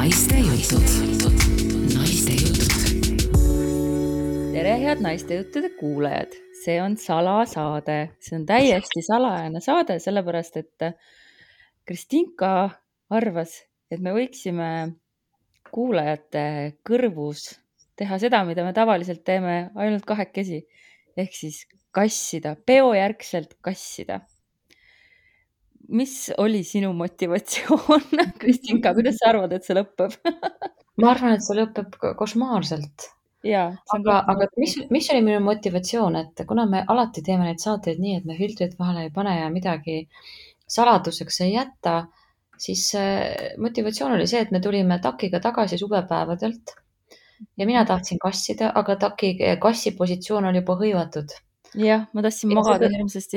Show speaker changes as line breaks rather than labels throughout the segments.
naiste jutud. Naiste jutud.
Tere, head naiste juttude kuulajad. See on salasaade. See on täiesti salajane saade, sellepärast et Kristinka arvas, et me võiksime kuulajate kõrvus teha seda, mida me tavaliselt teeme ainult kahekesi. Ehk siis kassida, peojärgselt kassida. Mis oli sinu motivatsioon, Kristinka? Kuidas sa arvad, et see lõpeb?
Ma arvan, et see lõpeb košmaarselt.
Jaa, see on
Aga mis oli minu motivatsioon, et kuna me alati teeme neid saateid nii, et me filtrit vahele ei pane ja midagi saladuseks ei jäta, siis motivatsioon oli see, et me tulime takiga tagasi suvepäevadelt ja mina tahtsin kassida, aga kassi positsioon oli juba hõivatud.
Jah, ma tahtsin magada hirmsasti.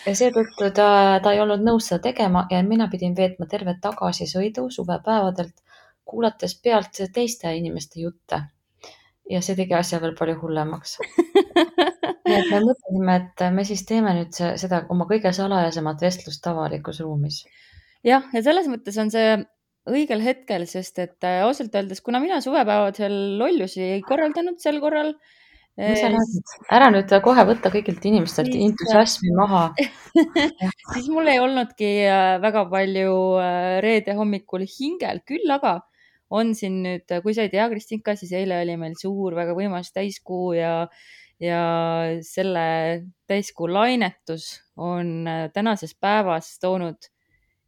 Ja seetõttu ta ei olnud nõus seda tegema ja mina pidin veetma terve tagasisõidu suvepäevadelt, kuulates pealt teiste inimeste jutte. Ja see tegi asja veel palju hullemaks. Nii et me mõtlesime, et me siis teeme nüüd seda oma kõige salajasemat vestlust avalikus ruumis.
Jah, ja selles mõttes on see õigel hetkel, sest et ausalt öeldes, kuna mina suvepäevadel lollusi ei korraldanud sel korral,
Mis sa räägid? Ära nüüd kohe võtta kõigilt inimestelt entusiasmi maha.
siis mul ei olnudki väga palju reede hommikul hingel, küll aga on siin nüüd, kui sa ei tea, Kristinka, siis eile oli meil suur, väga võimas täiskuu ja selle täiskuu lainetus on tänases päevas toonud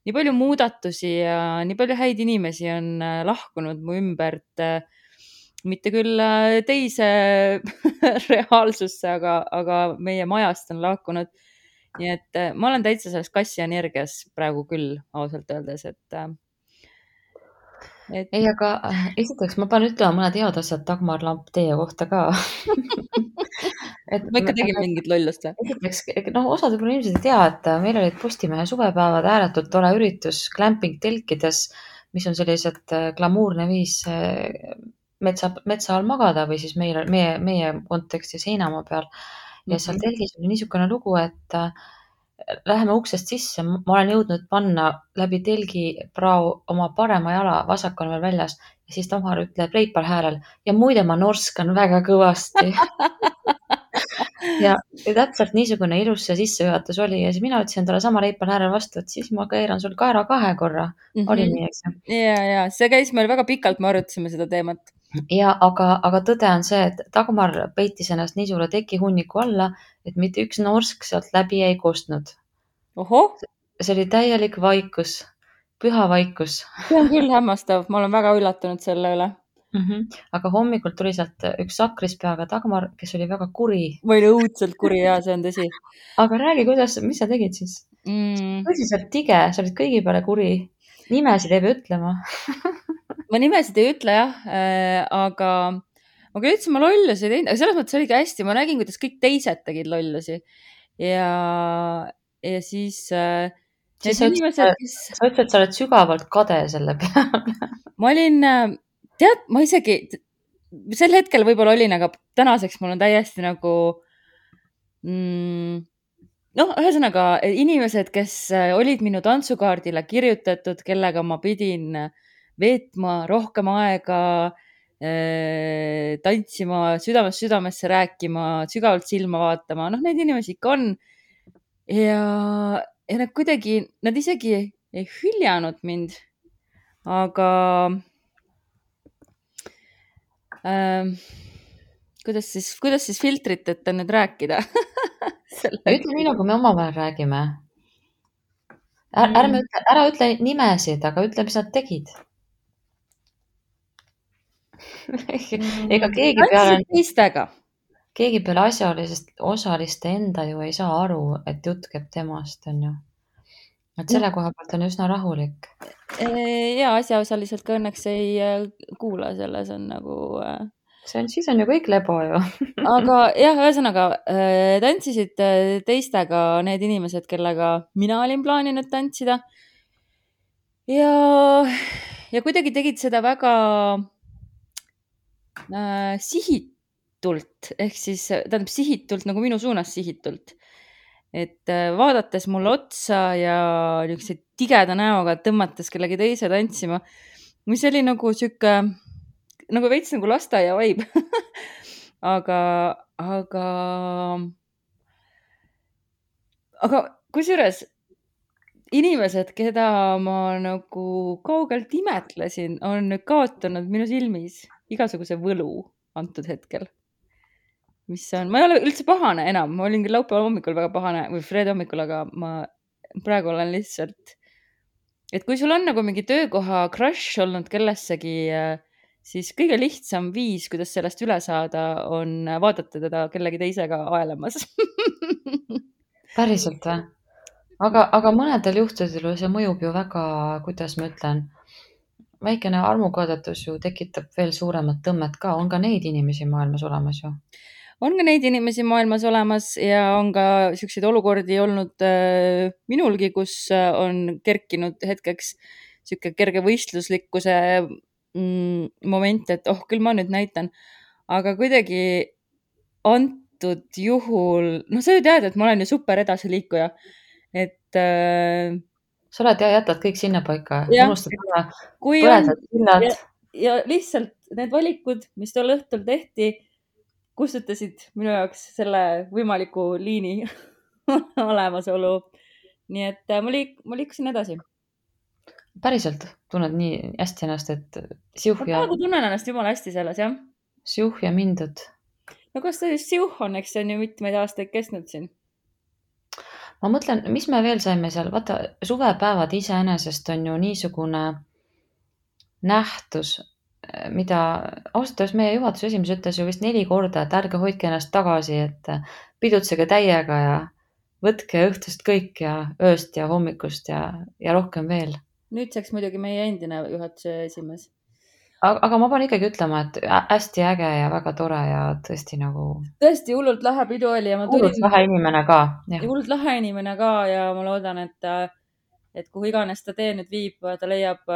nii palju muudatusi ja nii palju häid inimesi on lahkunud mu ümbert, mitte küll teise reaalsusse, aga meie majast on lahkunud. Nii et ma olen täitsa selles kassi energias praegu küll, ausalt öeldes,
Ei, aga esiteks ma pean ütlema mõned head asjad Dagmar Lamp teie kohta ka.
ma ikka tegin mingit lollust.
Esiteks, osad võib-olla inimesed ei tea, et meil olid Postimehe suvepäevad ääretult tore üritus glamping telkides, mis on sellised glamuurne viis metsa all magada või siis meie kontekstis heinamaa peal. Ja seal telgis oli niisugune lugu, et läheme uksest sisse, ma olen jõudnud panna läbi telgi prao oma parema jala, vasak on veel väljas ja siis Tamar ütleb reipal häälel ja muide ma norskan väga kõvasti. ja täpselt niisugune ilus see sissejuhatus oli ja siis mina ütlesin talle sama reipal häälel vastu, et siis ma keeran sul kaera 2 korra. Oli nii, eks?
Ja, see käis meil väga pikalt, me arutasime seda teemat.
Ja, aga tõde on see, et Dagmar peitis ennast nii suure tekihunniku alla, et mitte üks norsk sealt läbi ei kostnud.
Oho!
See oli täielik vaikus, püha vaikus.
See on küll hämmastav, ma olen väga üllatunud selle üle.
Aga hommikul tuli sealt üks sakrispeaga Dagmar, kes oli väga kuri.
Ma olin õudselt kuri, ja see on tõsi.
Aga räägi, mis sa tegid siis? Tõsiselt tige, sa olid kõigi peale kuri. Nimesid ei pea ütlema.
Ma nimesid ei ütle jah, aga ma küll ütlesin, ma lollusi ei teinud, aga selles mõttes oligi hästi, ma nägin, kuidas kõik teised tegid lollusi ja siis
sa ütlesid, et sa oled sügavalt kade selle peale.
Ma olin, ma isegi sel hetkel võib-olla olin, aga tänaseks mul on täiesti nagu ühesõnaga inimesed, kes olid minu tantsukaardile kirjutatud, kellega ma pidin veetma rohkem aega, tantsima, südamesse rääkima, sügavalt silma vaatama. Neid inimesi ikka on. Ja nad kuidagi, nad isegi ei hüljanud mind, aga kuidas siis filtriteta nüüd rääkida?
Ütle nii, nagu me omavahel räägime. Ära ütle nimesid, aga ütle, mis nad tegid. Ega keegi peale osaliste enda ju ei saa aru, et jutt käib temast, on ju. Et selle koha pealt on üsna rahulik.
Ja asjaosaliselt ka õnneks ei kuula, selles on nagu...
Siis on ju kõik lebo ju.
Aga jah, ühesõnaga, tantsisid teistega need inimesed, kellega mina olin plaaninud tantsida. Ja kuidagi tegid seda väga sihitult, ehk siis tähendab sihitult nagu minu suunas sihitult. Et vaadates mulle otsa ja niisuguse tigeda näoga tõmmates kellegi teise tantsima, mis oli nagu sihuke, nagu veits nagu lasteaia vibe aga kusjuures inimesed, keda ma nagu kaugelt imetlesin, on nüüd kaotanud minu silmis igasuguse võlu antud hetkel. ma ei ole üldse pahane enam, ma olin küll laupäeval hommikul väga pahane või reede hommikul, aga ma praegu olen lihtsalt, et kui sul on nagu mingi töökoha crush olnud kellessegi, siis kõige lihtsam viis, kuidas sellest üle saada, on vaadata teda kellegi teisega aelamas
Päriselt või? Aga mõnedel juhtudel see mõjub ju väga, kuidas ma ütlen, väikene armukaadetus ju tekitab veel suuremat tõmmet ka. On ka neid inimesi maailmas olemas ju.
On ka neid inimesi maailmas olemas ja on ka siukseid olukordi olnud minulgi, kus on kerkinud hetkeks siuke kerge võistluslikkuse moment, et küll ma nüüd näitan. Aga kuidagi antud juhul, sa ju tead, et ma olen ju super edasiliikuja. Et
sa oled ja jätad kõik sinna paika. Unustad ära põledad sillad.
Ja lihtsalt need valikud, mis tol õhtul tehti, kustutasid minu jaoks selle võimaliku liini olemasolu. Nii et ma liikusin edasi.
Päriselt tunned nii hästi ennast, et siuh ja...
Ma praegu tunnen ennast jumala hästi selles, jah.
Siuh ja mindud.
No kas ta just siuh on, eks see on ju mitmeid aastaid kestnud siin?
Ma mõtlen, mis me veel saime seal, vaata, suvepäevad iseenesest on ju niisugune nähtus, mida ausalt meie juhatuse esimees ütles ju vist 4 korda, et ärge hoidke ennast tagasi, et pidutsege täiega ja võtke õhtust kõik ja ööst ja hommikust ja rohkem veel.
Nüüdseks muidugi meie endine juhatuse esimees.
Aga ma pean ikkagi ütlema, et hästi äge ja väga tore ja tõesti nagu...
Tõesti hullult lahe pidu oli ja ma tulin...
Hullult lahe inimene ka.
Hullult lahe inimene ka ja ma loodan, et kuhu iganes ta tee nüüd viib, ta leiab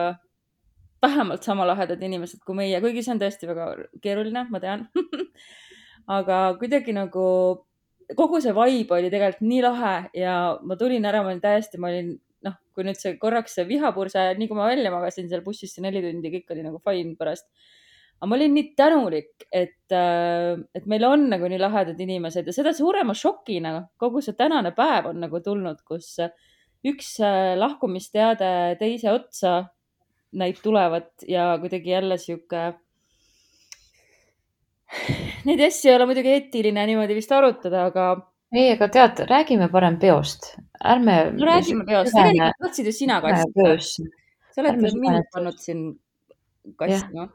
vähemalt sama lahedad inimesed kui meie, kuigi see on tõesti väga keeruline, ma tean. Aga kuidagi nagu kogu see vibe oli tegelikult nii lahe ja ma tulin ära, ma olin kui nüüd see korraks see vihapurse, nii kui ma välja magasin seal bussis 4 tundi, kõik oli nagu fine pärast. Aga ma olin nii tänulik, et meil on nagu nii lahedad inimesed ja seda suurema šokina kogu see tänane päev on nagu tulnud, kus üks lahkumisteade teise otsa näib tulevat ja kuidagi jälle siuke... Neid asju ei ole muidugi eetiline niimoodi vist arutada, aga...
Ei, aga tead, räägime parem peost.
Räägime peost. Tegelikult võtsid ju sina kassi. Sa oled mind pannud siin kassi.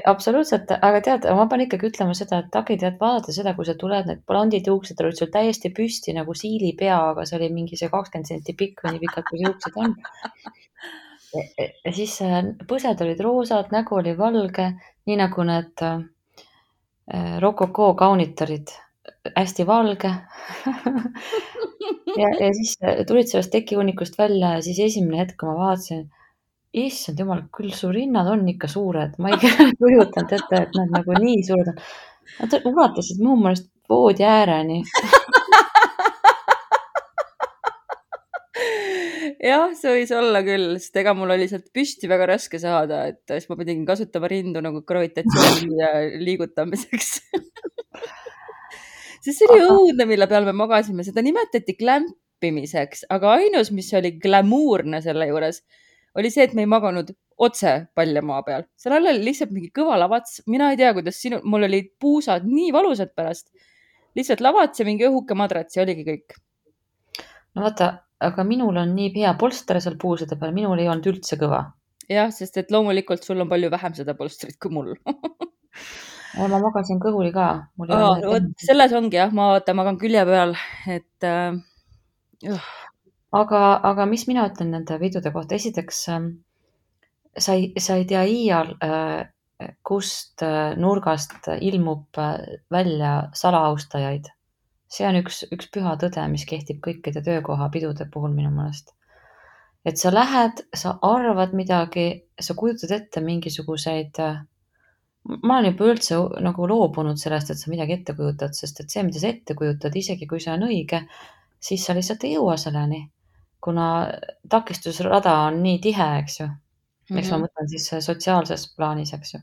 Absoluutselt, aga tead, ma pean ikkagi ütlema seda, et Taki, tead, vaadata seda, kui sa tuled, need blondid juuksed olid sul täiesti püsti nagu siili pea, aga see oli mingi see 20 senti pikk või nii pikalt, kui juuksed on. Ja siis põsed olid roosad, nägu oli valge, nii nagu need rokoko kaunitarid. Hästi valge ja siis tulid sellest tekihunnikust välja ja siis esimene hetk, kui ma vaatasin, issand jumal, küll su rinnad on ikka suured. Ma ei kujutanud ette, et nad nagu nii suured on. Nad ulatasid muu mõelest voodi ääreni.
Jah, see võis olla küll, sest ega mul oli sealt püsti väga raske saada, et siis ma pidin kasutama rindu nagu gravitatsiooni liigutamiseks. Siis see oli õudne, mille peal me magasime. Seda nimetati glampimiseks, aga ainus, mis oli glamuurne selle juures, oli see, et me ei maganud otse paljamaa peal. Seal all oli lihtsalt mingi kõva lavats. Mina ei tea, kuidas mul olid puusad nii valusad pärast. Lihtsalt lavats ja mingi õhuke madrats ja oligi kõik.
No vaata, aga minul on nii hea polster seal puusade peal. Minul ei olnud üldse kõva.
Jah, sest et loomulikult sul on palju vähem seda polstrit kui mul.
Ma magasin kõhuli ka.
Selles ongi jah, ma magan külje peal, et...
Aga mis mina ütlen nende videode kohta? Esiteks, sa ei tea iial, kust nurgast ilmub välja salaaustajaid. See on üks püha tõde, mis kehtib kõikide töökoha pidude puhul minu mõelest. Et sa lähed, sa arvad midagi, sa kujutad ette mingisuguseid... Ma olen juba üldse nagu loobunud sellest, et sa midagi ette kujutad, sest et see, mida sa ette kujutad, isegi kui see on õige, siis sa lihtsalt ei jõua selleni, kuna takistusrada on nii tihe, eks ju. Eks ma mõtlen siis sotsiaalses plaanis, eks ju.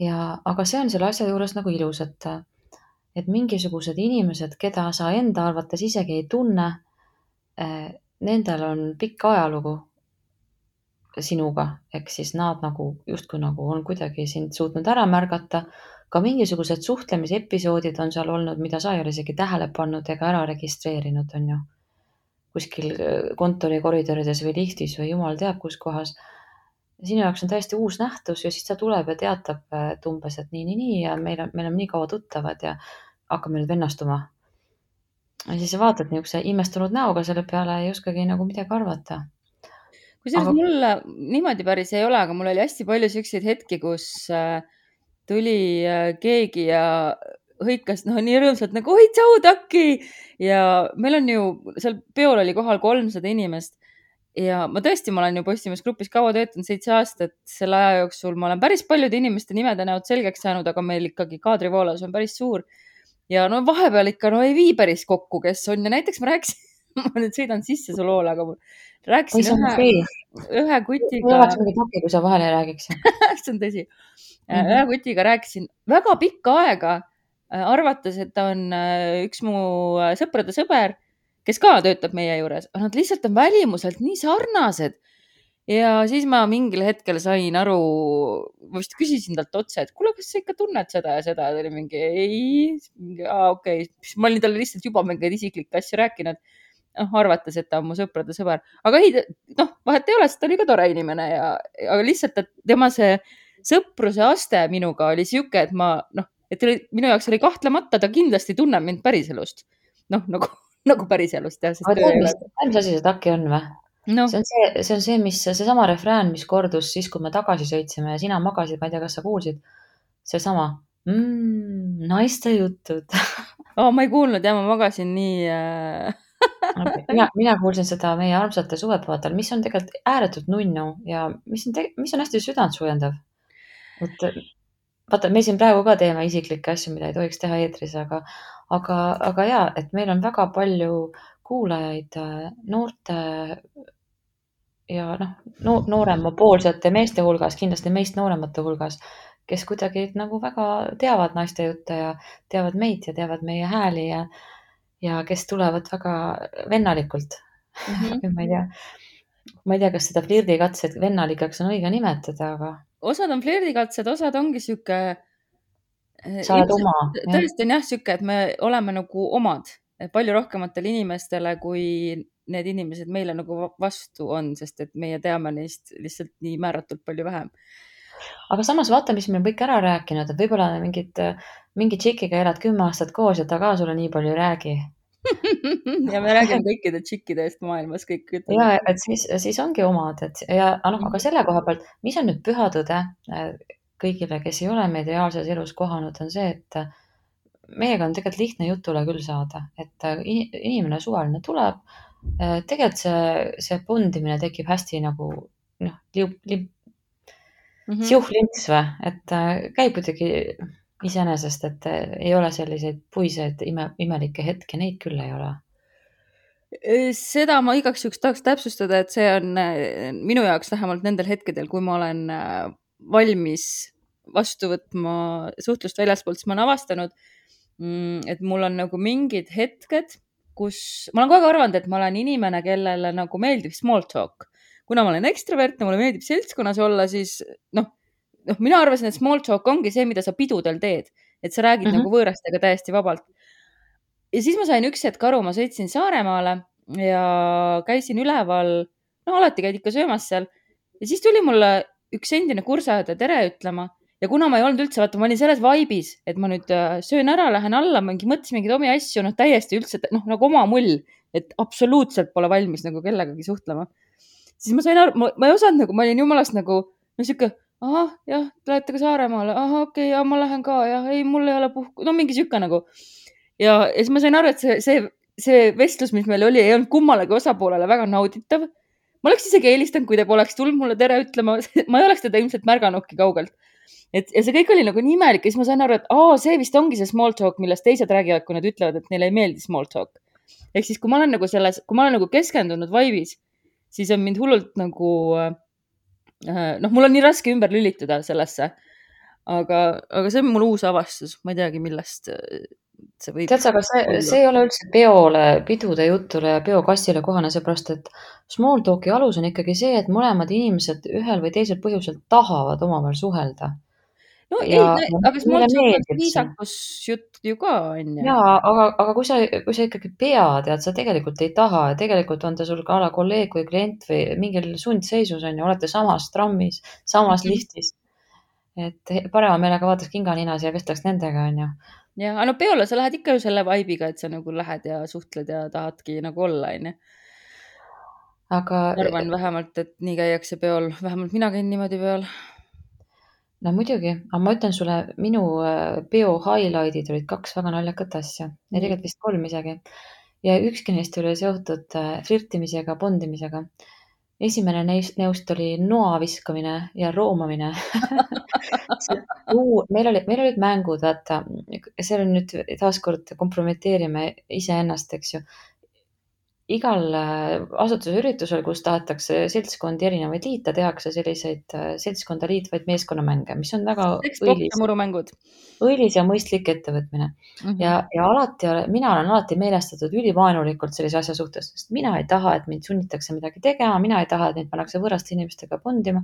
Aga see on selle asja juures nagu ilus, et mingisugused inimesed, keda sa enda arvates isegi ei tunne, nendel on pikk ajalugu sinuga, ehk siis nad nagu justkui nagu on kuidagi sind suutnud ära märgata. Ka mingisugused suhtlemisepisoodid on seal olnud, mida sa ei ole isegi tähele pannud ega ära registreerinud, on ju. Kuskil kontori koridorides või liftis või jumal teab kus kohas. Sinu jaoks on täiesti uus nähtus ja siis ta tuleb ja teatab, et umbes, et nii ja meil on nii kaua tuttavad ja hakkame nüüd vennastuma. Ja siis sa vaatad niisuguse imestunud näoga selle peale ja ei oskagi nagu midagi arvata.
Kusjuures mul niimoodi päris ei ole, aga mul oli hästi palju selliseid hetki, kus tuli keegi ja hõikas nii rõõmsalt nagu oi, tšau, Taki! Ja meil on ju, seal peol oli kohal 300 inimest ja ma olen ju Postimees grupis kaua töötanud, 7 aastat. Selle aja jooksul ma olen päris paljude inimeste nimede näod selgeks saanud, aga meil ikkagi kaadrivoolavus on päris suur. Ja vahepeal ikka ei vii päris kokku, kes on. Ja näiteks ma rääkisin, ma nüüd sõidan sisse su loole, aga rääkisin ühe kutiga.
Ei oleks mingi Taki, kui sa vahele ei räägiks.
See on tõsi. Ühe kutiga rääkisin väga pikka aega, arvates, et ta on üks mu sõprade sõber, kes ka töötab meie juures. Nad lihtsalt on välimuselt nii sarnased. Ja siis ma mingil hetkel sain aru, vist küsisin talt otse, et kuule, kas sa ikka tunned seda ja seda? Ta oli mingi, ei, okei. Ma olin talle lihtsalt juba mingeid isiklikke asju rääkinud. Arvates, et ta on mu sõprade sõber. Aga ei, vahet ei ole, sest ta oli ka tore inimene. Aga lihtsalt, et tema see sõpruse aste minuga oli siuke, et minu jaoks oli kahtlemata, ta kindlasti tunneb mind päriselust. Nagu päriselust.
Aga mis asi see Taki on või? No. See on see sama refrään, mis kordus siis, kui me tagasi sõitsime ja sina magasid, ma ei tea, kas sa kuulsid, see sama naiste jutud.
Ma ei kuulnud ja ma magasin nii...
Mina kuulsin seda meie armsate suvepäevadel, mis on tegelikult ääretult nunnu ja mis on hästi südantsuujendav. Vaata, me siin praegu ka teeme isiklikke asju, mida ei tohiks teha eetris, aga jaa, et meil on väga palju kuulajaid noorte ja nooremapoolsete meeste hulgas, kindlasti meist nooremate hulgas, kes kuidagi nagu väga teavad naiste jutte ja teavad meid ja teavad meie hääli ja kes tulevad väga vennalikult. Ma ei tea, kas seda flirdikatsed vennalikaks on õige nimetada, aga...
Osad on flirdikatsed, osad ongi siuke...
Sa oled oma.
Tõesti on jah siuke, et me oleme nagu omad palju rohkematele inimestele, kui need inimesed meile nagu vastu on, sest et meie teame neist lihtsalt nii määratult palju vähem.
Aga samas vaata, mis me kõik ära rääkinud, et võib-olla mingi tšikiga elad 10 aastat koos ja ta ka sulle nii palju ei räägi.
Ja me räägime kõikide tšikkide eest maailmas kõik.
Ja, et siis ongi omad. Aga selle koha pealt, mis on nüüd püha tõde kõigile, kes ei ole meid reaalses elus kohanud, on see, et meiega on tegelikult lihtne jutule küll saada. Et inimene suvaline tuleb, tegelikult see bondimine tekib hästi nagu siuhlints või, et käib kuidagi iseenesest, et ei ole selliseid puiseid imelikke hetke, neid küll ei ole.
Seda ma igaks juhuks tahaks täpsustada, et see on minu jaoks vähemalt nendel hetkedel, kui ma olen valmis vastu võtma suhtlust väljaspoolt, siis ma olen avastanud, et mul on nagu mingid hetked, kus ma olen kogu aeg arvanud, et ma olen inimene, kellele nagu meeldib small talk. Kuna ma olen ekstravertne, mulle meeldib seltskonnas olla, siis mina arvasin, et small talk ongi see, mida sa pidudel teed, et sa räägid nagu võõrastega täiesti vabalt. Ja siis ma sain üks hetk aru, ma sõitsin Saaremaale ja käisin üleval, alati käid ikka söömas seal. Ja siis tuli mulle üks endine kursaõde tere ütlema ja kuna ma ei olnud üldse, vaata, ma olin selles vaibis, et ma nüüd söön ära, lähen alla, mõtlesin mingid omi asju, täiesti üldse, nagu oma mull, et absoluutselt pole valmis nagu kellegagi suhtlema. Siis ma sain aru, ma ei osanud nagu, ma olin jumalast nagu, siuke, jah, lähete ka Saaremaale, okei, ma lähen ka, jah, ei, mul ei ole puhku, mingi siuke nagu. Ja siis ma sain aru, et see vestlus, mis meil oli, ei olnud kummalegi osapoolele väga nauditav. Ma oleks isegi eelistanud, kui ta poleks tulnud mulle tere ütlema, ma ei oleks teda ilmselt märganudki kaugelt. Ja see kõik oli nagu nii imelik ja siis ma sain aru, et see vist ongi see small talk, millest teised räägivad, kui nad ütlevad, et neile ei meeldi small talk. Ehk siis, kui ma olen nagu keskendunud vaibis, siis on mind hullult nagu mul on nii raske ümber lülituda sellesse, aga see on mul uus avastus, ma ei teagi, millest see võib
Tead sa, aga see ei ole üldse peole, pidude jutule ja peokassile kohane, seepärast et small talk'i alus on ikkagi see, et mõlemad inimesed ühel või teisel põhjusel tahavad omavahel suhelda.
no ei,
Ja
aga small
mulle
talk on
meeldib see.
viisakusjutt ju ka, on ju.
Jaa, aga kui sa ikkagi pead ja sa tegelikult ei taha ja tegelikult on ta sul ka ala kolleeg või klient või mingil sundseisus on ju, olete samas trammis, samas liftis. Et parema meelega vaataks kinganinas ja vestleks nendega, on ju.
Ja, aga no peole sa lähed ikka ju selle vibe'iga, et sa nagu lähed ja suhtled ja tahadki nagu olla, on ju.
Aga
Ma arvan vähemalt, et nii käiakse peol, vähemalt mina käin niimoodi peol.
no muidugi, aga ma ütlen sulle, minu peo highlight'id olid 2 väga naljakat asja. Ja tegelikult vist 3 isegi. Ja ükski neist oli seotud flirtimisega, bondimisega. Esimene neust oli noa viskamine ja roomamine. Meil olid mängud, vaata, see on nüüd taaskord kompromiteerime iseennast, eks ju. Igal asutuse üritusel, kus tahetakse seltskondi erinevaid liita, tehakse selliseid seltskonda liitvaid meeskonnamänge, mis on väga õilis ja mõistlik ettevõtmine. Ja mina olen alati meelestatud ülivaenulikult sellise asja suhtes, sest mina ei taha, et mind sunnitakse midagi tegema, mina ei taha, et mind pannakse võõraste inimestega bondima.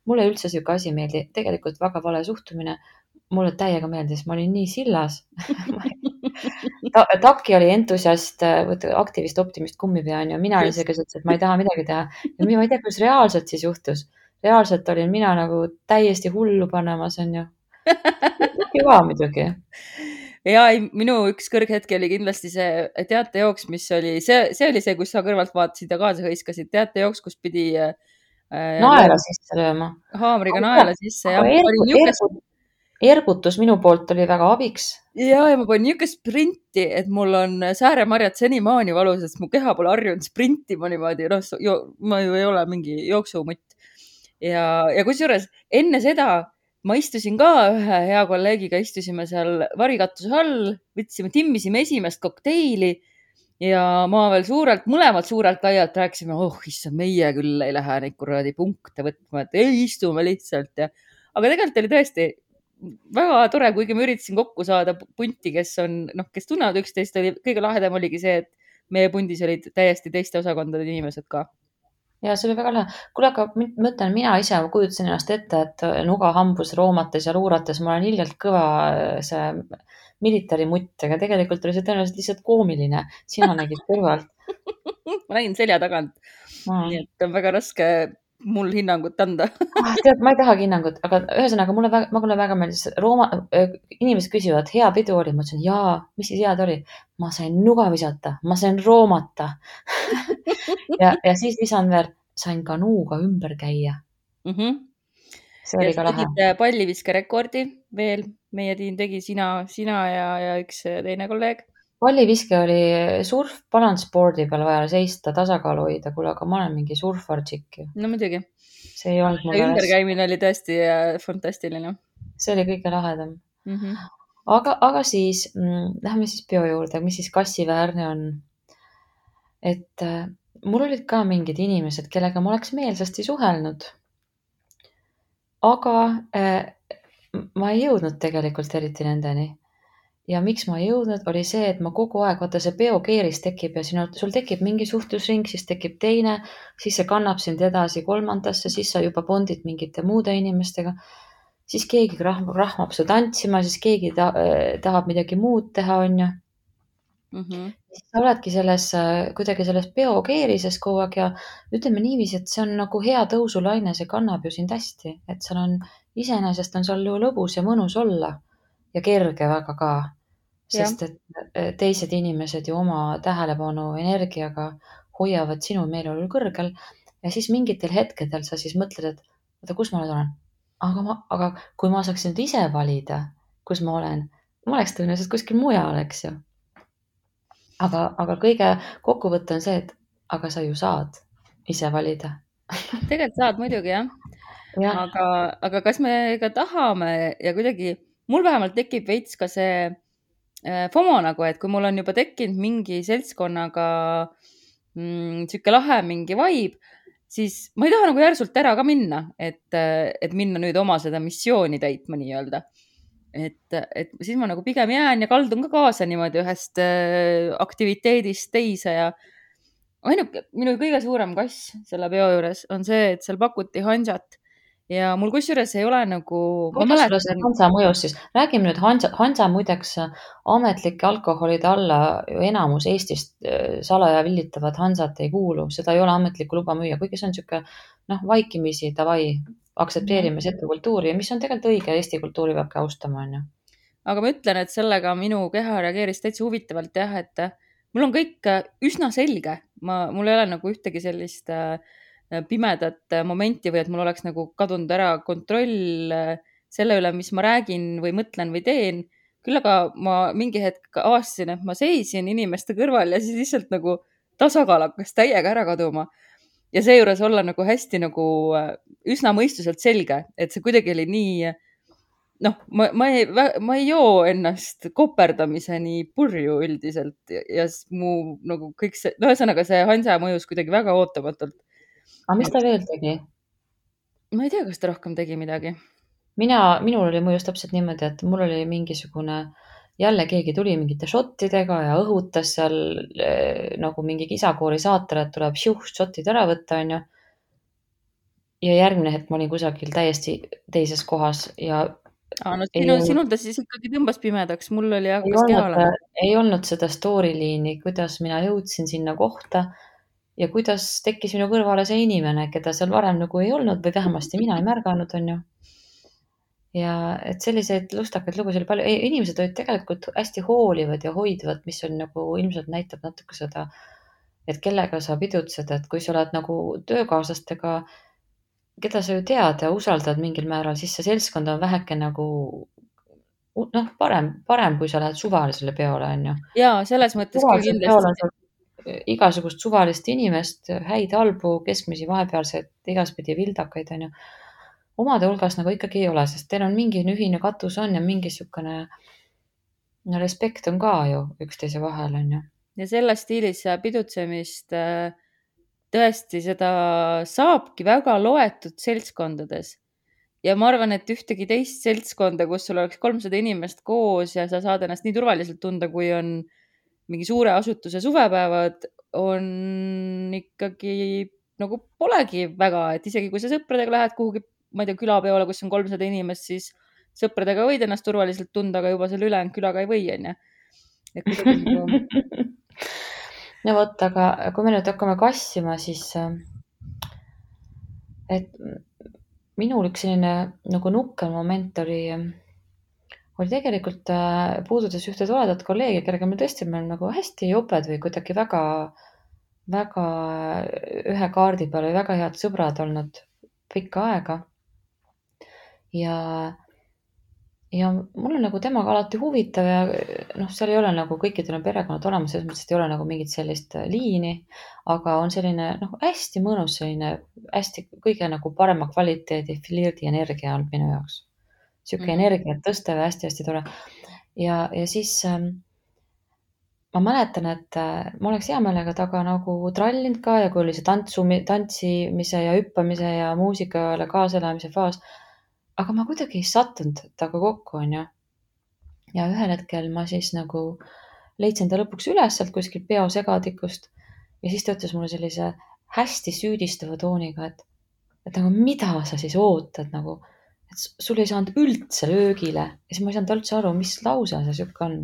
Mulle üldse siuke asi meeldi, tegelikult väga vale suhtumine. Mulle täiega meeldis, ma olin nii sillas. Taki oli entusiast, aktivist, optimist, kummipea on ju. Mina olin see, kes ütles, et ma ei taha midagi teha. Ja ma ei tea, kuidas reaalselt siis juhtus. Reaalselt olin mina nagu täiesti hullu panemas, on ju. Hüva muidugi.
Ja minu üks kõrghetki oli kindlasti see teatejooks, mis oli, see oli see, kus sa kõrvalt vaatasid ja kaasa hõiskasid. Teatejooks, kus pidi
naela sisse lööma.
Haamriga naela sisse.
Ergutus minu poolt oli väga abiks.
Ja ma panin niisugune sprinti, et mul on sääremarjad senimaani valus, sest mu keha pole harjunud sprintima niimoodi. Ma ju ei ole mingi jooksumutt. Ja kusjuures enne seda ma istusin ka ühe hea kolleegiga, istusime seal varikatuse all, timmisime esimest kokteili ja ma veel mõlemad suurelt laialt rääkisime, issand, meie küll ei lähe neid kuradi punkte võtma, et ei istume lihtsalt. Aga tegelikult oli tõesti väga tore, kuigi ma üritasin kokku saada punti, kes tunnevad üksteist, kõige lahedam oligi see, et meie pundis olid täiesti teiste osakondade inimesed ka.
Ja see oli väga lahe. Kuule, aga mõtlen, mina ise kujutasin ennast ette, et nuga hambus roomates ja luurates ma olen hiljalt kõva see militarimutt, aga tegelikult oli see tõenäoliselt lihtsalt koomiline. Sina nägid kõrvalt.
Ma nägin selja tagant. Nii et on väga raske mul hinnangut anda.
Tead, ma ei tahagi hinnangut, aga ühesõnaga mulle väga meeldis. Inimesed küsivad, hea pidu oli. Ma ütlesin, jaa, mis siis head oli? Ma sain nuga visata, ma sain roomata. ja siis lisan veel, sain kanuuga ümber käia. See oli ka lahe.
Tegid palliviske-rekordi veel. Meie tiim tegi sina ja üks teine kolleeg.
Palliviske oli surf balansboardi peal vaja seista, tasakaalu hoida, kuule, aga ma olen mingi surfartšik.
No muidugi.
See ei olnud mulle
ümberkäimine oli tõesti fantastiline.
See oli kõige lahedam. Aga siis lähme siis peo juurde, mis siis kassiväärne on. Et mul olid ka mingid inimesed, kellega ma oleks meelsasti suhelnud. Aga ma ei jõudnud tegelikult eriti nendeni. Ja miks ma ei jõudnud, oli see, et ma kogu aeg, vaata see peokeeris tekib ja sul tekib mingi suhtlusring, siis tekib teine, siis see kannab sind edasi 3. Siis sa juba bondid mingite muude inimestega. Siis keegi rahmab su tantsima, siis keegi tahab midagi muud teha, on ju. Siis sa oledki kuidagi selles peokeerises kogu aeg ja ütleme niiviisi, et see on nagu hea tõusulaine, see kannab ju sind hästi, et iseenesest on seal ju lõbus ja mõnus olla ja kerge väga ka. Sest et teised inimesed ju oma tähelepanu energiaga hoiavad sinu meeleolul kõrgel ja siis mingitel hetkedel sa siis mõtled, et oota, kus ma nüüd olen? Aga kui ma saaksin nüüd ise valida, kus ma olen, ma oleks tõenäoliselt kuskil mujal, eks ju. Aga kõige kokkuvõte on see, et aga sa ju saad ise valida.
Tegelikult saad muidugi, jah. Aga kas me ka tahame ja kuidagi, mul vähemalt tekib veits ka see FOMO nagu, et kui mul on juba tekkinud mingi seltskonnaga siuke lahe mingi vibe, siis ma ei taha nagu järsult ära ka minna, et minna nüüd oma seda missiooni täitma nii-öelda. Et siis ma nagu pigem jään ja kaldun ka kaasa niimoodi ühest aktiviteedist teise ja ainuke minu kõige suurem kass selle peo juures on see, et seal pakuti hansat ja mul kusjuures ei ole nagu, ma
kuidas sulle see
mäletan,
Hansa mõjus siis? Räägime nüüd Hansa muideks ametlike alkoholide alla ju enamus Eestist salaja villitavad Hansat ei kuulu, seda ei ole ametlikku luba müüa, kuigi see on sihuke vaikimisi davai, aktsepteerime seda kultuuri, mis on tegelikult õige, Eesti kultuuri peabki austama, on ju.
aga ma ütlen, et sellega minu keha reageeris täitsa huvitavalt jah, et mul on kõik üsna selge, mul ei ole nagu ühtegi sellist pimedat momenti või et mul oleks nagu kadunud ära kontroll selle üle, mis ma räägin või mõtlen või teen. Küll aga ma mingi hetk avastasin, et ma seisin inimeste kõrval ja siis lihtsalt nagu tasakaal hakkas täiega ära kaduma. Ja seejuures olla nagu hästi nagu üsna mõistuselt selge, et see kuidagi oli nii, ma ei joo ennast koperdamiseni purju üldiselt ja mu nagu kõik see, ühesõnaga see Hansa mõjus kuidagi väga ootamatult.
Aga mis ta veel tegi?
Ma ei tea, kas ta rohkem tegi midagi.
Minul oli mõjus täpselt niimoodi, et mul oli mingisugune, jälle keegi tuli mingite šottidega ja õhutas seal nagu mingi kisakoori saatel, et tuleb šotid ära võtta, on ju. Ja järgmine hetk ma olin kusagil täiesti teises kohas ja
sinul ta siis ikkagi tõmbas pimedaks, mul oli hakkas keha olema.
Ei olnud seda story liini, kuidas mina jõudsin sinna kohta ja kuidas tekkis minu kõrvale see inimene, keda seal varem nagu ei olnud või vähemasti mina ei märganud, on ju. Ja et selliseid lustakaid lugusid oli palju. Inimesed olid tegelikult hästi hoolivad ja hoidvad, mis on nagu ilmselt näitab natuke seda, et kellega sa pidutsed, et kui sa oled nagu töökaaslastega, keda sa ju tead ja usaldad mingil määral, siis see seltskond on väheke nagu parem, kui sa lähed suvalisele peole, on ju.
Jaa, selles mõttes küll kindlasti.
Igasugust suvalist inimest, häid, halbu, keskmisi, vahepealseid, igaspidi vildakaid, on ju. Omade hulgas nagu ikkagi ei ole, sest teil on mingi ühine katus on ja mingi sükene respekt on ka ju üksteise vahel, on ju.
Ja selles stiilis pidutsemist tõesti seda saabki väga loetud seltskondades. Ja ma arvan, et ühtegi teist seltskonda, kus sul oleks 300 inimest koos ja sa saad ennast nii turvaliselt tunda, kui on mingi suure asutuse suvepäevad, on ikkagi nagu polegi väga, et isegi kui sa sõpradega lähed kuhugi, ma ei tea, külapeole, kus on 300 inimest, siis sõpradega võid ennast turvaliselt tunda, aga juba selle ülejäänud külaga ei või, on ju.
No vot, aga kui me nüüd hakkame kassima, siis et minul üks selline nagu nukker moment oli tegelikult puudutas ühte toredat kolleegi, kellega me tõesti oleme nagu hästi joped või kuidagi väga, väga ühe kaardi peal või väga head sõbrad olnud pikka aega. Ja mul on nagu temaga alati huvitav ja seal ei ole nagu kõikidel on perekonnad olemas, selles mõttes, et ei ole nagu mingit sellist liini, aga on selline hästi mõnus, selline hästi kõige nagu parema kvaliteedi flirdi energia on minu jaoks. Siuke energiat tõstev ja hästi-hästi tore. Ja siis ma mäletan, et ma oleks hea meelega taga nagu trallinud ka ja kui oli see tantsimise ja hüppamise ja muusikale kaaselamise faas, aga ma kuidagi ei sattunud taga kokku, on ju. Ja ühel hetkel ma siis nagu leidsin ta lõpuks üles sealt kuskil peo segadikust ja siis ta ütles mulle sellise hästi süüdistava tooniga, et nagu mida sa siis ootad nagu, et sul ei saanud üldse löögile ja siis ma ei saanud üldse aru, mis lause see siuke on.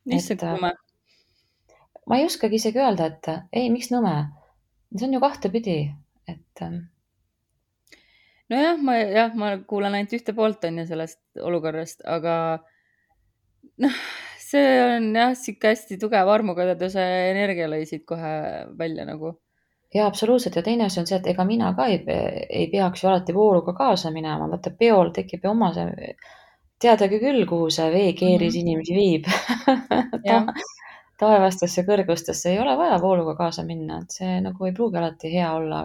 Nõme.
Ma ei oskagi isegi öelda, et ei, miks nõme? See on ju kahtepidi, et
nojah, ma kuulan ainult ühte poolt on ju sellest olukorrast, aga see on jah, siuke hästi tugev armukadeduse energia lõi siit kohe välja nagu.
Ja absoluutselt ja teine asi on see, et ega mina ka ei peaks ju alati vooruga kaasa minema, vaata peol tekib ju oma see, teadagi küll, kuhu see veekeeris inimesi viib. Taevastesse kõrgustesse ei ole vaja vooluga kaasa minna, et see nagu ei pruugi alati hea olla,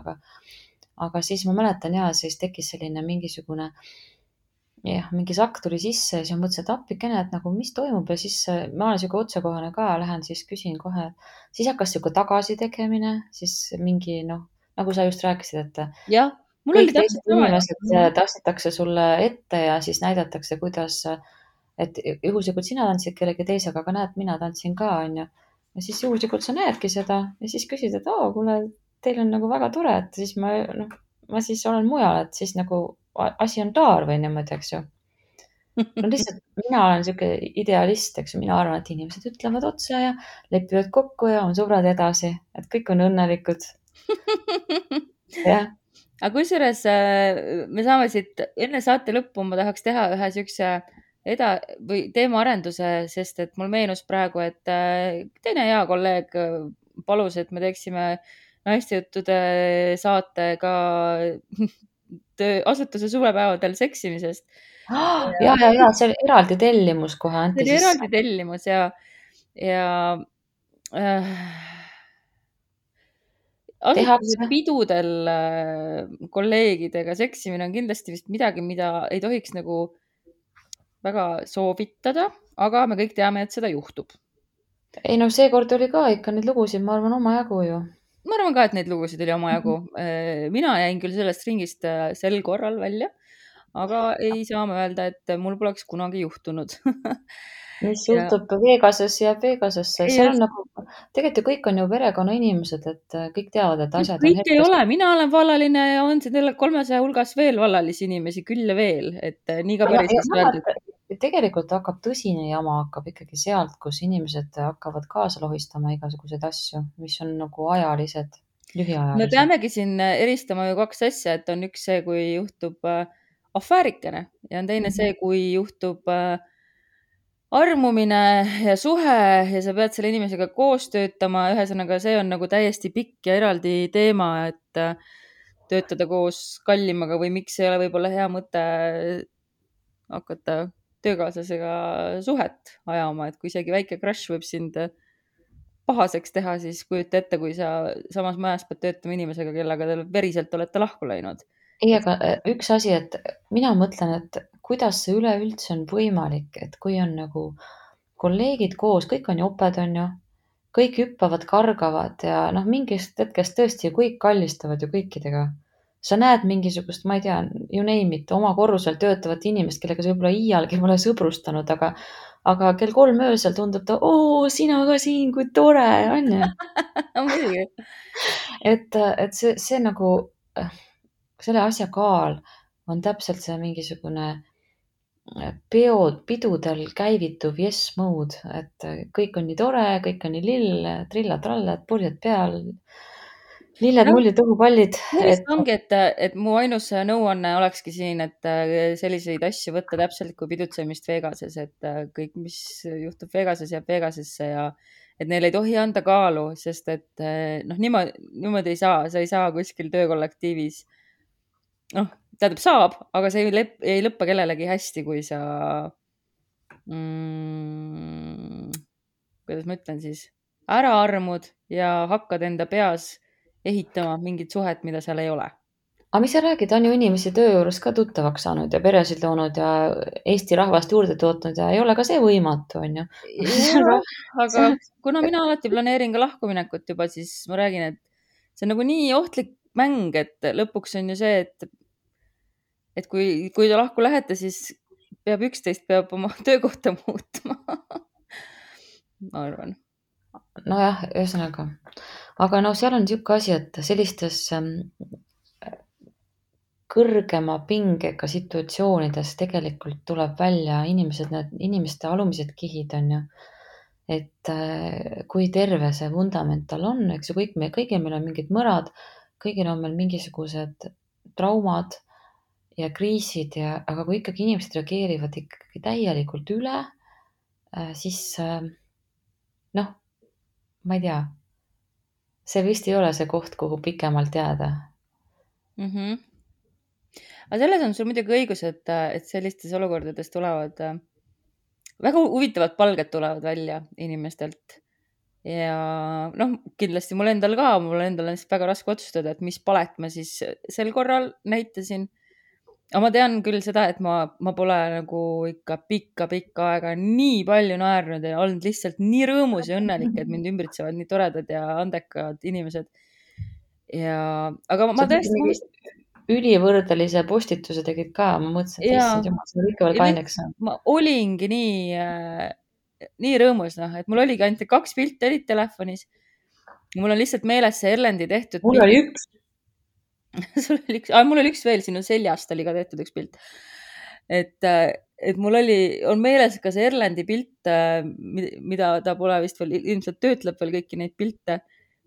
aga siis ma mäletan ja siis tekkis selline mingisugune mingi sakk tuli sisse ja siis ma mõtlesin, et appikene, et nagu mis toimub ja siis ma olen siuke otsekohane ka, lähen siis küsin kohe, siis hakkas siuke tagasi tegemine, siis mingi nagu sa just rääkisid, et
jah, mul oli
kõik
täpselt
teised
sama.
inimesed tassitakse sulle ette ja siis näidatakse, kuidas, et juhuslikult sina tantsid kellegi teisega, aga näed, mina tantsin ka, onju. Ja siis juhuslikult sa näedki seda ja siis küsid, et kuule, teil on nagu väga tore, et siis ma siis olen mujal, et siis nagu asi on klaar või niimoodi, eks ju. No lihtsalt mina olen sihuke idealist, eks ju, mina arvan, et inimesed ütlevad otse ja lepivad kokku ja on sõbrad edasi, et kõik on õnnelikud. jah.
aga kusjuures me saame siit enne saate lõppu, ma tahaks teha ühe siukse või teemaarenduse, sest et mul meenus praegu, et teine hea kolleeg palus, et me teeksime naistejuttude saate ka asutuse suvepäevadel seksimisest.
ja, see oli eraldi tellimus kohe
see
anti
oli
sisse.
eraldi tellimus ja asutuse pidudel kolleegidega seksimine on kindlasti vist midagi, mida ei tohiks nagu väga soovitada, aga me kõik teame, et seda juhtub.
ei no seekord oli ka ikka neid lugusid, ma arvan, omajagu ju.
Ma arvan ka, et neid lugusid oli omajagu. Mina jäin küll sellest ringist sel korral välja, aga ei saa ma öelda, et mul poleks kunagi juhtunud.
mis juhtub Vegases, jääb Vegasesse. seal on nagu, tegelikult ju kõik on ju perekonnainimesed, et kõik teavad, et asjad
kõik on ei ole, mina olen vallaline ja on siin 300 hulgas veel vallalisi inimesi küll ja veel, et nii ka päris öeldud.
Tegelikult hakkab tõsine jama hakkab ikkagi sealt, kus inimesed hakkavad kaasa lohistama igasuguseid asju, mis on nagu ajalised, lühiajalised.
me peamegi siin eristama ju 2 asja, et on üks see, kui juhtub afäärikene ja on teine see, kui juhtub armumine ja suhe ja sa pead selle inimesega koos töötama. Ühesõnaga, see on nagu täiesti pikk ja eraldi teema, et töötada koos kallimaga või miks ei ole võib-olla hea mõte hakata töökaaslasega suhet ajama, et kui isegi väike crush võib sind pahaseks teha, siis kujuta ette, kui sa samas majas pead töötama inimesega, kellega te veriselt olete lahku läinud.
ei, aga üks asi, et mina mõtlen, et kuidas see üleüldse on võimalik, et kui on nagu kolleegid koos, kõik on joped, on ju, kõik hüppavad, kargavad ja mingist hetkest tõesti kõik kallistavad ju kõikidega. Sa näed mingisugust, ma ei tea, you name it, oma korrusel töötavat inimest, kellega sa võib-olla iialgi pole sõbrustanud, aga kell 3 öösel tundub ta, sina ka siin, kui tore, on ju. et see nagu, selle asja kaal on täpselt see mingisugune pidudel käivituv yes mode, et kõik on nii tore, kõik on nii lill, trilla-trallad, purjed peal, lilled, mullid, õhupallid.
ongi, et mu ainus nõuanne olekski siin, et selliseid asju võtta täpselt kui pidutsemist Vegases, et kõik, mis juhtub Vegases, jääb Vegasesse ja et neil ei tohi anda kaalu, sest et niimoodi ei saa, sa ei saa kuskil töökollektiivis. Tähendab saab, aga see ei lõppe kellelegi hästi, kui sa kuidas ma ütlen siis, ära armud ja hakkad enda peas ehitama mingit suhet, mida seal ei ole.
Aga mis sa räägid, on ju inimesi töö juures ka tuttavaks saanud ja peresid loonud ja Eesti rahvast juurde tootnud ja ei ole ka see võimatu, on ju.
Aga kuna mina alati planeerin ka lahkuminekut juba, siis ma räägin, et see on nagu nii ohtlik mäng, et lõpuks on ju see, et kui te lahku lähete, siis peab oma töökohta muutma. Ma arvan.
Nojah, ühesõnaga. Aga seal on niisugune asi, et sellistes kõrgema pingega situatsioonides tegelikult tuleb välja inimeste alumised kihid, on ju. Et kui terve see vundament tal on, eks ju, kõigil meil on mingid mõrad, kõigil on meil mingisugused traumad ja kriisid aga kui ikkagi inimesed reageerivad ikkagi täielikult üle, siis ma ei tea, see vist ei ole see koht, kuhu pikemalt jääda.
Aga selles on sul muidugi õigus, et sellistes olukordades tulevad väga huvitavad palged tulevad välja inimestelt. Ja kindlasti mul endal on väga raske otsustada, et mis palet ma siis sel korral näitasin. Aga ma tean küll seda, et ma pole nagu ikka pikka aega nii palju naernud ja olnud lihtsalt nii rõõmus ja õnnelik, et mind ümbritsevad nii toredad ja andekad inimesed. aga
sa
ma
mingi
tõesti,
ülivõrdelise postituse tegid ka, ma mõtlesin, et
ja
issand jumal, see oli ikka veel kaineks saanud.
ma olingi nii rõõmus, et mul oligi ainult 2 pilti olid telefonis. Mul on lihtsalt meeles see Erlendi tehtud
Mul
pilt.
oli üks.
Mul oli üks veel, sinu seljast oli ka tehtud üks pilt. Et mul on meeles ka see Erlendi pilt, mida ta pole vist veel, ilmselt töötleb veel kõiki neid pilte,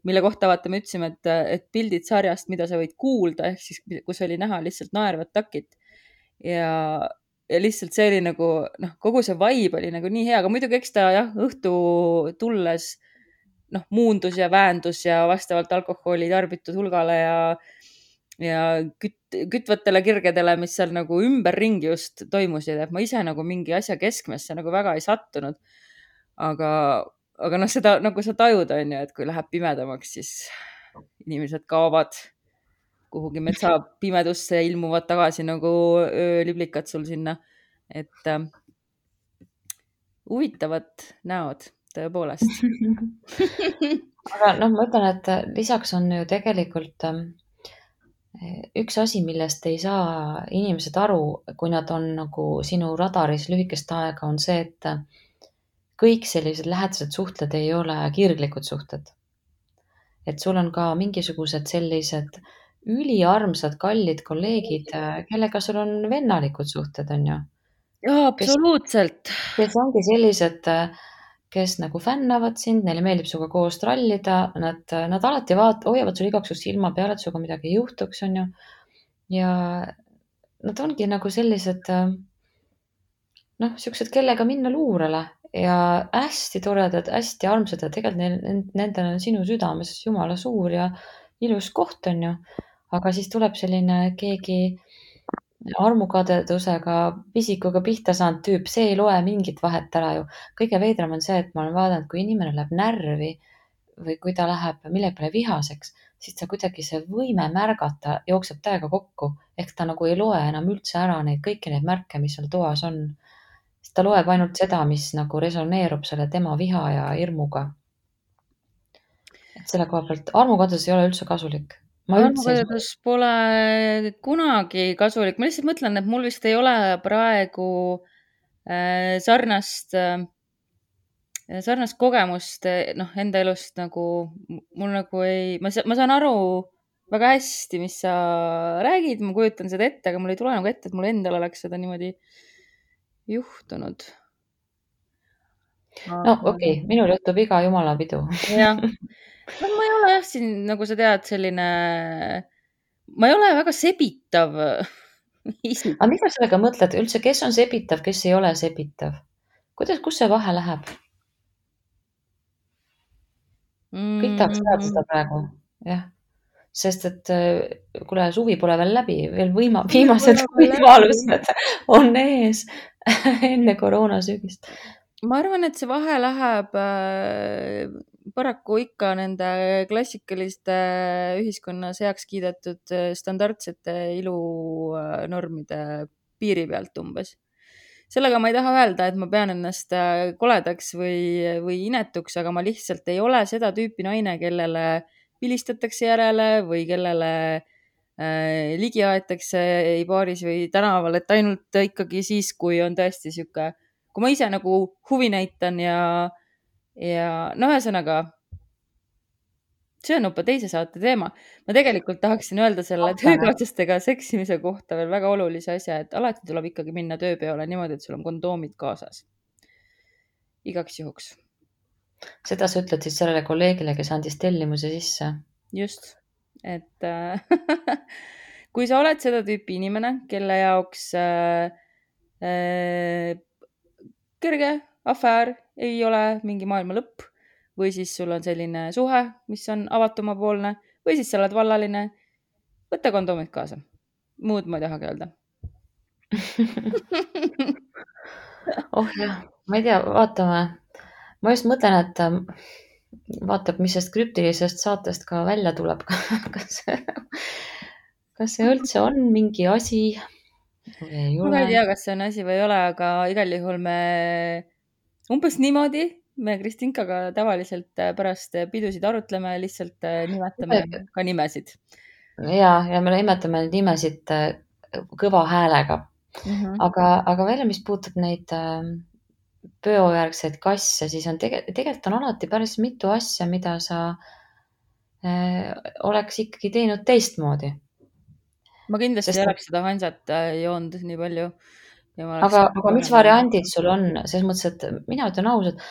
mille kohta vaata me ütlesime, et pildid sarjast, mida sa võid kuulda, ehk siis kus oli näha lihtsalt naervat takit. Ja lihtsalt see oli nagu, kogu see vibe oli nagu nii hea, aga muidugi eks ta jah, õhtu tulles muundus ja väändus ja vastavalt alkoholi tarbitud hulgale ja kütvatele kirgedele, mis seal nagu ümberringi just toimusid, et ma ise nagu mingi asja keskmesse nagu väga ei sattunud. Aga seda nagu sa tajud, on ju, et kui läheb pimedamaks, siis inimesed kaovad kuhugi metsa pimedusse ja ilmuvad tagasi nagu ööliblikad sul sinna. Et huvitavad näod tõepoolest.
Aga ma ütlen, et lisaks on ju tegelikult üks asi, millest ei saa inimesed aru, kui nad on nagu sinu radaris lühikest aega, on see, et kõik sellised lähedased suhted ei ole kirglikud suhted. Et sul on ka mingisugused sellised üliarmsad, kallid kolleegid, kellega sul on vennalikud suhted, on ju.
Jaa, absoluutselt.
Kes ongi sellised, kes nagu fännavad sind, neile meeldib sinuga koos trallida, nad alati hoiavad sul igaks juhuks silma peal, et sinuga midagi ei juhtuks, on ju. Ja nad ongi nagu sellised, siuksed, kellega minna luurele ja hästi toredad, hästi armsad ja tegelikult nendel on sinu südames jumala suur ja ilus koht, on ju. Aga siis tuleb selline keegi armukadedusega, pisikuga pihta saanud tüüp, see ei loe mingit vahet ära ju. Kõige veidram on see, et ma olen vaadanud, kui inimene läheb närvi või kui ta läheb millegi peale vihaseks, siis ta kuidagi see võime märgata jookseb täiega kokku. Ehk ta nagu ei loe enam üldse ära kõiki neid märke, mis seal toas on. Ta loeb ainult seda, mis nagu resoneerub selle tema viha ja hirmuga. Et selle koha pealt armukadedus ei ole üldse kasulik.
Armukadedus pole kunagi kasulik. Ma lihtsalt mõtlen, et mul vist ei ole praegu sarnast kogemust enda elust nagu mul nagu ei, ma saan aru väga hästi, mis sa räägid, ma kujutan seda ette, aga mul ei tule nagu ette, et mul endal oleks seda niimoodi juhtunud.
No okei, minul juhtub iga jumala pidu.
Jah. Ma ei ole jah siin, nagu sa tead, selline, ma ei ole väga sebitav isik.
Aga mida sellega mõtled üldse, kes on sebitav, kes ei ole sebitav? Kus see vahe läheb? Kõik tahaks teada seda praegu, jah. Sest et kuule, suvi pole veel läbi, veel viimased võimalused on ees enne koroonasügist.
Ma arvan, et see vahe läheb paraku ikka nende klassikaliste ühiskonnas heaks kiidetud standardsete ilunormide piiri pealt umbes. Sellega ma ei taha öelda, et ma pean ennast koledaks või inetuks, aga ma lihtsalt ei ole seda tüüpi naine, kellele pilistatakse järele või kellele ligi aetakse ei baaris või tänaval, et ainult ikkagi siis, kui on tõesti sihuke, kui ma ise nagu huvi näitan ja ühesõnaga, see on juba teise saate teema. Ma tegelikult tahaksin öelda selle töökaaslastega seksimise kohta veel väga olulise asja, et alati tuleb ikkagi minna tööpeole niimoodi, et sul on kondoomid kaasas. Igaks juhuks.
Seda sa ütled siis sellele kolleegile, kes andis tellimuse sisse?
Just, et kui sa oled seda tüüpi inimene, kelle jaoks kerge afäär ei ole mingi maailma lõpp või siis sul on selline suhe, mis on avatumapoolne või siis sa oled vallaline, võta kondoomid kaasa. Muud ma ei tahagi öelda.
Oh jah, ma ei tea, vaatame. Ma just mõtlen, et vaatab, mis sellest krüptilisest saatest ka välja tuleb. Kas see üldse on mingi asi?
Ma ei tea, kas see on asi või ei ole, aga igal juhul me umbes niimoodi me Kristinkaga tavaliselt pärast pidusid arutleme, lihtsalt nimetame ka nimesid.
ja me nimetame neid nimesid kõva häälega. Aga veel, mis puutub neid peojärgseid kasse, siis on tegelikult on alati päris mitu asja, mida sa oleks ikkagi teinud teistmoodi.
Ma kindlasti ei oleks seda Hansat joonud nii palju.
Aga mis variandid sul on? Selles mõttes, et mina ütlen ausalt,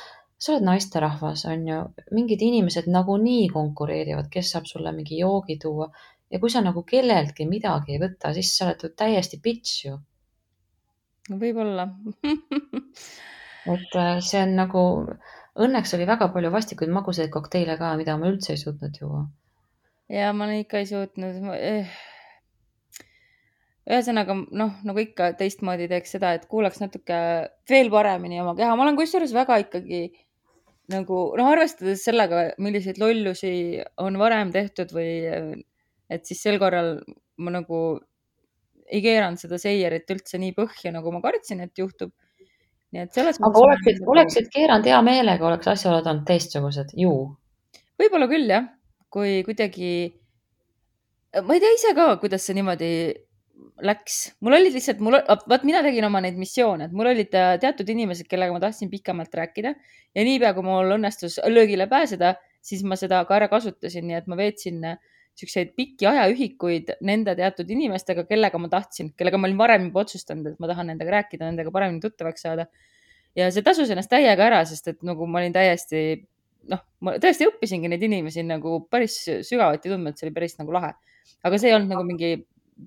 sa oled naisterahvas, on ju, mingid inimesed nagunii konkureerivad, kes saab sulle mingi joogi tuua. Ja kui sa nagu kelleltki midagi ei võta, siis sa oled täiesti bitch ju.
Võib-olla.
Et see on nagu, õnneks oli väga palju vastikuid magusaid kokteile ka, mida ma üldse ei suutnud juua.
Ja ma ikka ei suutnud. Ühesõnaga, nagu ikka teistmoodi teeks seda, et kuulaks natuke veel paremini oma keha. Ma olen kusjuures väga ikkagi nagu, arvestades sellega, milliseid lollusi on varem tehtud või et siis sel korral ma nagu ei keeranud seda seierit üldse nii põhja, nagu ma kartsin, et juhtub. Nii et selles
aga oleksid keeranud hea meelega, oleks asjaolud olnud teistsugused, ju?
Võib-olla küll, jah. Kui kuidagi, ma ei tea ise ka, kuidas see niimoodi läks. Mul olid lihtsalt, mina tegin oma neid missioone, et mul olid teatud inimesed, kellega ma tahtsin pikemalt rääkida ja niipea, kui mul õnnestus löögile pääseda, siis ma seda ka ära kasutasin, nii et ma veetsin selliseid pikki ajaühikuid nende teatud inimestega, kellega ma tahtsin, kellega ma olin varem juba otsustanud, et ma tahan nendega rääkida, nendega paremini tuttavaks saada. Ja see tasus ennast täiega ära, sest et nagu ma olin ma tõesti õppisingi neid inimesi nagu päris sügavuti tundma, et see oli päris nagu lahe. Aga see ei olnud nagu mingi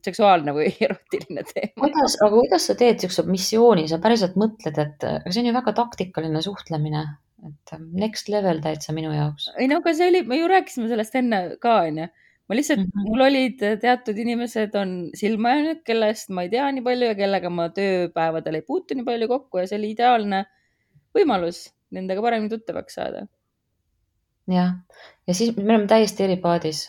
seksuaalne või erotiline teema.
Aga kuidas sa teed siukse missiooni, sa päriselt mõtled, et see on ju väga taktikaline suhtlemine, et next level täitsa minu jaoks.
Ei no, aga see oli, me ju rääkisime sellest enne ka, on ju. Ma lihtsalt, mul olid teatud inimesed on silma jäänud, kellest ma ei tea nii palju ja kellega ma tööpäevadel ei puutu nii palju kokku ja see oli ideaalne võimalus nendega paremini tuttavaks saada.
Jah, ja siis me oleme täiesti eri paadis.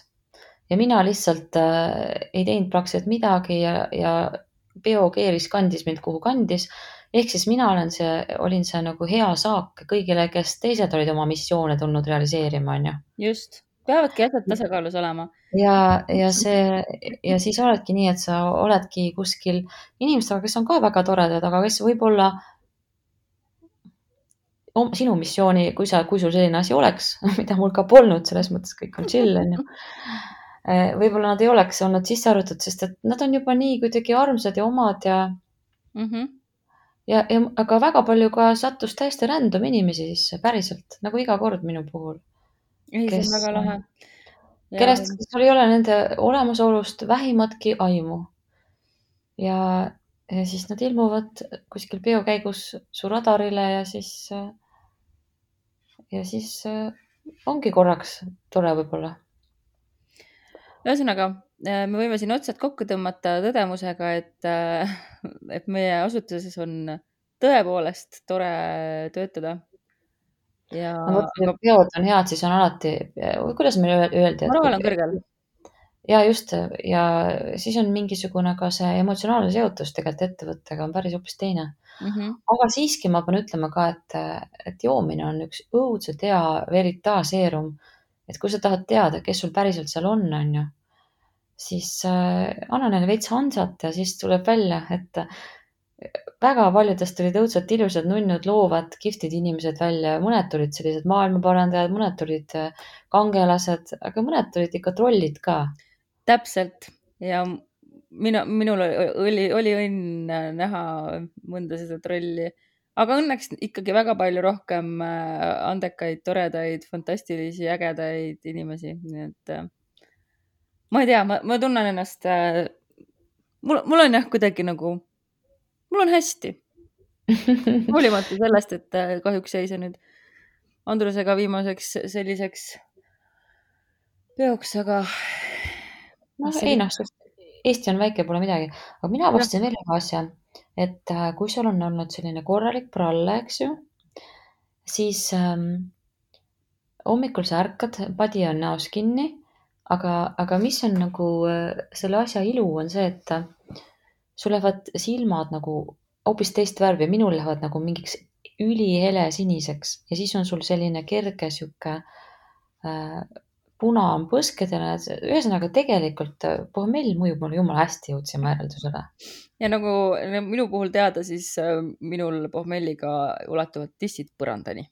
Ja mina lihtsalt ei teinud praktiliselt midagi ja peo keeris, kandis mind kuhu kandis. Ehk siis mina olin see nagu hea saak kõigile, kes teised olid oma missioone tulnud realiseerima, on ju.
Just, peavadki asjad tasakaalus olema.
Ja siis oledki nii, et sa oledki kuskil inimestega, kes on ka väga toredad, aga kes võib-olla sinu missiooni, kui sul selline asi oleks, mida mul ka polnud, selles mõttes kõik on chill, on ju. Võib-olla nad ei oleks olnud sisse arvatud, sest et nad on juba nii kuidagi armsad ja omad aga väga palju ka sattus täiesti random inimesi sisse, päriselt, nagu iga kord minu puhul.
Ei, see on väga lahe.
Kellest sul ei ole nende olemasolust vähimatki aimu. Ja siis nad ilmuvad kuskil peo käigus su radarile ja siis ongi korraks tore võib-olla.
Ühesõnaga, me võime siin otsad kokku tõmmata tõdemusega, et meie asutuses on tõepoolest tore töötada.
Ma mõtlen, et peod on head, siis on alati, kuidas meil öeldi?
Moraal on kõrgel.
Ja just, ja siis on mingisugune ka see emotsionaalne seotus tegelikult ettevõttega on päris hoopis teine. Aga siiski ma pean ütlema ka, et joomine on üks õudselt hea veritaaseerum. Et kui sa tahad teada, kes sul päriselt seal on ju, siis anna neile veits Hansat ja siis tuleb välja, et väga paljudest tulid õudselt ilusad, nunnud, loovad, kihvtid inimesed välja. Mõned tulid sellised maailmaparandajad, mõned tulid kangelased, aga mõned tulid ikka trollid ka.
Täpselt. Ja minul oli õnn näha mõnda seda trolli. Aga õnneks ikkagi väga palju rohkem andekaid, toredaid, fantastilisi, ägedaid inimesi. Nii et ma ei tea, ma tunnen ennast, mul on jah kuidagi nagu, mul on hästi. Hoolimata sellest, et kahjuks jäi see nüüd Andrusega viimaseks selliseks peoks, aga...
Eesti on väike, pole midagi. Aga mina avastasin veel ühe asja, et kui sul on olnud selline korralik pralle, eks ju, siis hommikul sa ärkad, padi on näos kinni, aga mis on nagu selle asja ilu on see, et sul lähevad silmad nagu hoopis teist värvi, minul lähevad nagu mingiks ülihele siniseks ja siis on sul selline kerge sihuke puna on põskedele. Ühesõnaga tegelikult pohmell mõjub mulle jumala hästi, jõudsime järeldusele.
Ja nagu minu puhul teada, siis minul pohmelliga ulatuvad tissid põrandani.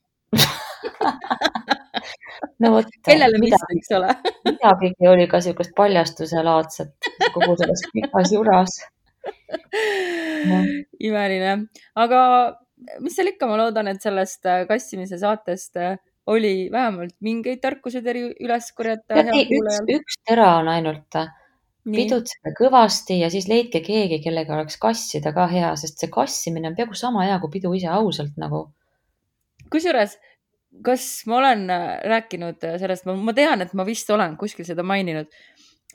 No vot,
Kellele mis, eks ole.
midagigi oli ka siukest paljastuse laadset kogu selles pikas juras.
Imeline. Aga mis seal ikka, ma loodan, et sellest kassimise saatest oli vähemalt mingeid tarkused üles korjata.
Üks tera on ainult. Pidutsege kõvasti ja siis leidke keegi, kellega oleks kassida ka hea, sest see kassimine on peaaegu sama hea kui pidu ise, ausalt nagu. Kusjuures,
kas ma olen rääkinud sellest, ma tean, et ma vist olen kuskil seda maininud,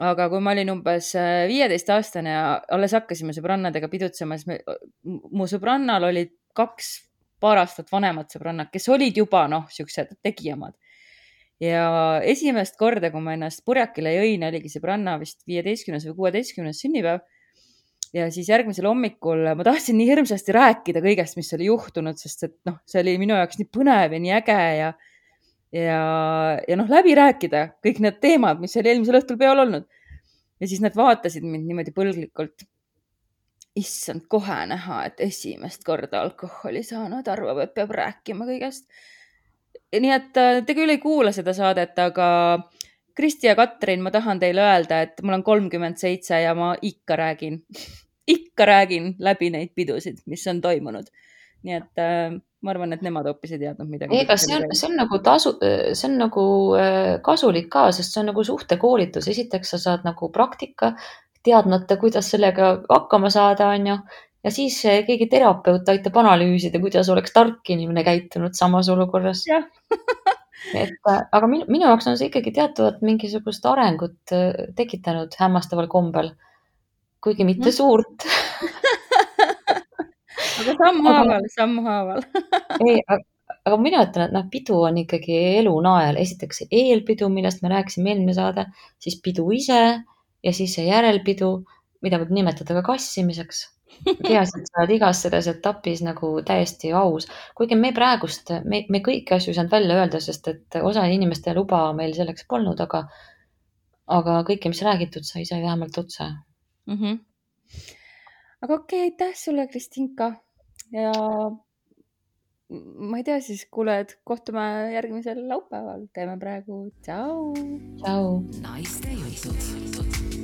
aga kui ma olin umbes 15-aastane ja alles hakkasime sõbrannadega pidutsema, siis mu sõbrannal olid 2 paar aastat vanemad sõbrannad, kes olid juba siuksed tegijamad. Ja esimest korda, kui ma ennast purjakile jõin, oligi sõbranna vist 15. või 16. sünnipäev. Ja siis järgmisel hommikul ma tahtsin nii hirmsasti rääkida kõigest, mis oli juhtunud, sest et see oli minu jaoks nii põnev ja nii äge ja läbi rääkida kõik need teemad, mis oli eelmisel õhtul peol olnud. Ja siis nad vaatasid mind niimoodi põlglikult. Issand, kohe näha, et esimest korda alkoholi saanud, arvab, et peab rääkima kõigest. Nii et te küll ei kuula seda saadet, aga Kristi ja Katrin, ma tahan teile öelda, et mul on 37 ja ma ikka räägin läbi neid pidusid, mis on toimunud. Nii et ma arvan, et nemad hoopis ei teadnud midagi.
Ega see on nagu kasulik ka, sest see on nagu suhtekoolitus. Esiteks sa saad nagu praktika, teadmata, kuidas sellega hakkama saada, on ju. Ja siis keegi terapeut aitab analüüsida, kuidas oleks tark inimene käitunud samas olukorras. Aga minu jaoks on see ikkagi teatavat mingisugust arengut tekitanud hämmastaval kombel, kuigi mitte suurt.
Aga sammu haaval.
Aga mina ütlen, et pidu on ikkagi elu nael. Esiteks eelpidu, millest me rääkisime eelmine saade, siis pidu ise ja siis see järelpidu, mida võib nimetada ka kassimiseks. Peaasi, et sa oled igas selles etapis nagu täiesti aus. Kuigi me praegust, me kõiki asju saanud välja öelda, sest et osa inimeste luba meil selleks polnud, aga kõike, mis räägitud sai vähemalt otse.
Aga okei, aitäh sulle, Kristinka. Ja ma ei tea siis, kuuled, kohtume järgmisel laupäeval. Teeme praegu. Tšau.
Tšau.
Naiste jutud.